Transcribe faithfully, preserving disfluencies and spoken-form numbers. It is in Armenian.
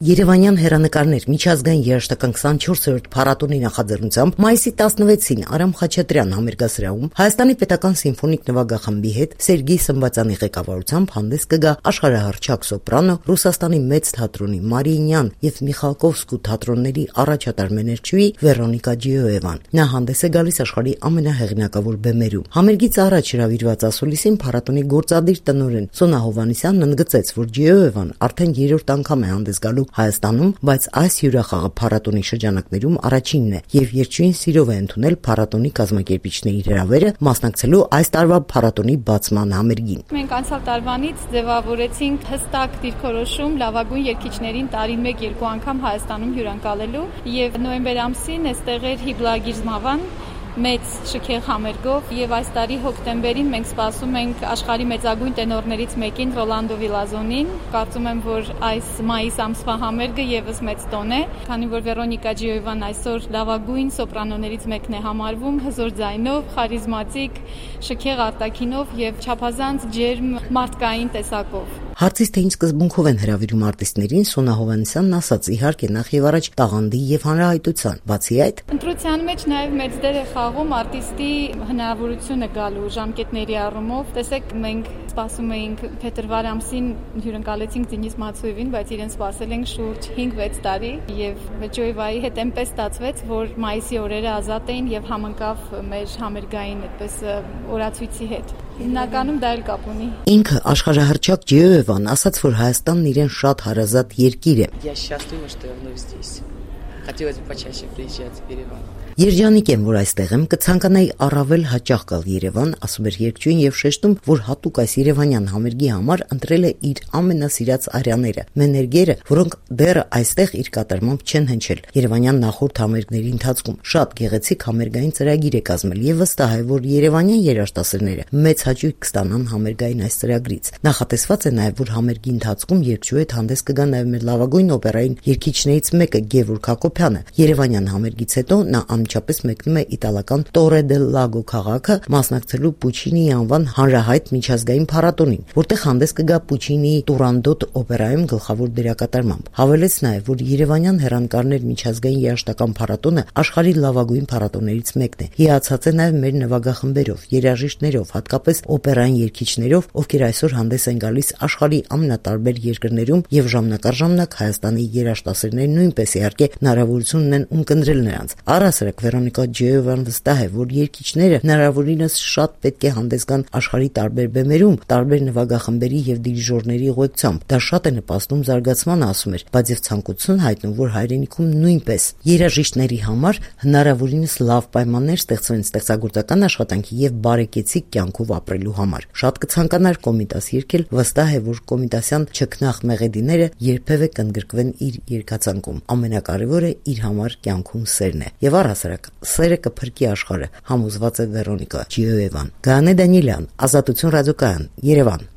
Երևանյան հեռանկարներ միջազգային երաժշտական քսանչորսերորդ փառատոնի նախաձեռնությամբ մայիսի տասնվեցին Արամ Խաչատրյան համերգասրահում Հայաստանի պետական սիմֆոնիկ նվագախմբի հետ Սերգեյ Սմբատյանի ղեկավարությամբ հանդես կգա աշխարհահռչակ սոպրանո, Ռուսաստանի մեծ թատրոնի Մարիինյան եւ Միխալկովսկու թատրոնների առաջատար մեներչուհի Վեռոնիկա Ջիոևան։ Նա հանդես է գալիս աշխարհի ամենահեղինակավոր բեմերում։ Համերգից առաջ հրավիրված ասուլիսին փառատոնի գործադիր տնօրեն Սոնա Հովհաննիսյանն ընդգծեց, որ Ջիոևան արդեն երրորդ անգամ է հանդես գալու Հայաստանում, բայց այս հյուրախաղը փառատոնի շրջանակներում առաջինն է եւ երկչույն սիրով է ընդունել փառատոնի կազմակերպիչների հրավերը մասնակցելու այս տարվա փառատոնի բացման համերգին։ Մենք անցյալ տարվանից ձևավորեցինք հստակ դիրքորոշում լավագույն երգիչներին տարին մեկ երկու անգամ Հայաստանում հյուրընկալելու եւ նոյեմբեր ամսին այստեղ էր Հիբլագիր Զմավան մեծ շքեղ համերգով եւ այս տարի հոկտեմբերին մենք սպասում ենք աշխարհի մեծագույն տենորներից մեկին Ռոլանդո Վիլազոնին։ Կարծում եմ, որ այս մայիս ամսվա համերգը եւս մեծ տոն է, քանի որ Վեռոնիկա Ջիոևան այսօր լավագույն սոպրանոներից մեկն է համարվում, հզոր ձայնով, խարիզմատիկ, շքեղ արտաքինով եւ չափազանց ջերմ մարդկային տեսակով։ Հարցից թե ինչ սկզբունքով են հրավիրում արտիստներին, Սոնա Հովհաննիսյանն ասաց, իհարկե նախ եւ առաջ տաղանդի եւ հանրահայտության։ Բացի այդ, ընտրության մեջ նաեւ մեծ դեր է խաղում արտիստի հնարավորությունը գալու ժամկետների առումով։ Տեսեք, մենք սպասում էինք փետրվար ամսին հյուրընկալեցինք Դենիս Մացոևին, բայց իրեն սպասել ենք շուրջ հինգ-վեց տարի եւ Ջոևայի հետ այնպես ստացվեց, որ մայիսի օրերը ազատ էին եւ համընկավ մեր համերգային այդպես օրացույցի հետ։ Հիմնականում դա էլ կապ ունի։ Ինքը աշխարհահռչակ Ջիոևան ասաց, որ Հայաստանն իրեն շատ հարազատ երկիր է։ Я счастлива, что я вновь здесь. Хотелось бы почаще приезжать в Ереван. Երջանիկ եմ, որ այստեղ եմ, կցանկանայի առավել հաճախ գալ Երևան, ասում էր երգչուհին եւ շեշտում, որ հատուկ այս երևանյան համերգի համար ընտրել է իր ամենասիրած արյաները, մեներգերը, որոնք դեռ այստեղ իր կատարմամբ չեն հնչել։ Երևանյան նախորդ համերգների ընթացքում շատ գեղեցիկ համերգային ծրագիր է կազմել եւ վստահ է, որ երևանյան երաժշտասերները մեծ հաճույք կստանան համերգային այս ծրագրից։ Նախատեսված է նաեւ, որ համերգի ընթացքում երգչուհի հետ հանդես կգա նաեւ մեր լավագույն օպերային երգիչներից մեկը Գևորգ Հակոբյանը։ Երևանյան համերգից հետո նա Անմիջապես մեկնում է իտալական Տորե դել Լագո քաղաքը մասնակցելու Պուչինիի անվան հանրահայտ միջազգային փառատոնին, որտեղ հանդես կգա Պուչինիի Տուրանդոտ օպերայում գլխավոր դերակատարմամբ։ Հավելեց նաև, որ Երևանյան հեռանկարներ միջազգային երաժշտական փառատոնը աշխարհի լավագույն փառատոներից մեկն է։ Հիացած է նաև մեր նվագախմբերով, երաժիշտներով, հատկապես օպերային երգիչներով, ովքեր այսօր հանդես են գալիս աշխարհի ամենատարբեր երկրներում եւ ժամանակ առ ժամանակ Հայաստանի երաժշտասերները նույնպես իհարկե հնարավորություն ունեն ունկնդրել նրանց։ Առասարակ Վեռոնիկա Ջիոևան վստահ է, որ երգիչները հնարավորինս շատ պետք է հանդես գան աշխարհի տարբեր բեմերում, տարբեր նվագախմբերի եւ դիրիժորների ուղեկցությամբ։ Դա շատ է նպաստում զարգացմանը, ասում էր, բայց եւ ցանկություն հայտնում, որ հայրենիքում նույնպես երաժիշտների համար հնարավորինս լավ պայմաններ ստեղծվեն ստեղծագործական աշխատանքի եւ բարեկեցիկ կյանքով ապրելու համար։ Շատ կցանկանար Կոմիտաս երգել, վստահ է, որ Կոմիտասյան չքնախ մեղեդիները երբևէ կընդգրկվեն իր երգացանկում։ Ամենակարևորը իր համար կյանքում սերն է։ Եվ առհասարակ սերը կփրկի աշխարհը, համոզված է Վեռոնիկա Ջիոևան։ Գաներ Դանիելյան, Ազատություն ռադիոկայան, Երևան։